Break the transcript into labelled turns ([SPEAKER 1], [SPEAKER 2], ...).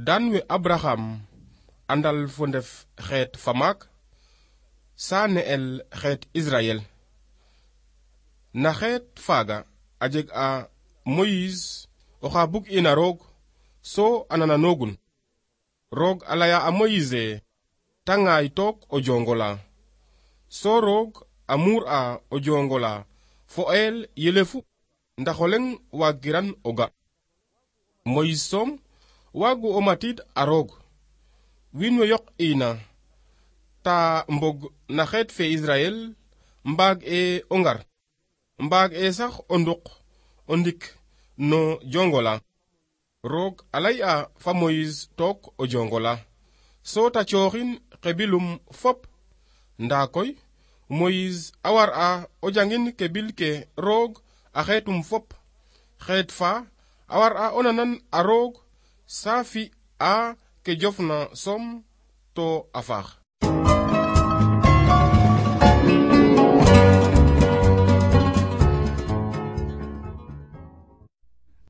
[SPEAKER 1] dan we Abraham andal fo ndef xeet fa maak sa ne'el xeet Israel na xeet faaga a jeg a Moïse oxa bug ina roog so anananogun roog a laya a Moïse ta ngaay took o jongola so roog a muur a o jongola fo el yelefu ndax o leŋ waagiran o ga Moïse soom waagu o matid a roog wiin we yoq ina ta mbog na xeet fe Israel mbaag e o ngar mbaag e sax o nduq o ndik no jongola roog a lay a fa Moïse took o jongola so ta cooxin xebilum fop ndaa koy Moïse a war a o jangin kebil ke roog a xeetum fop xeet fa a war a o nanan a roog sa fi a ke jofna som to a faax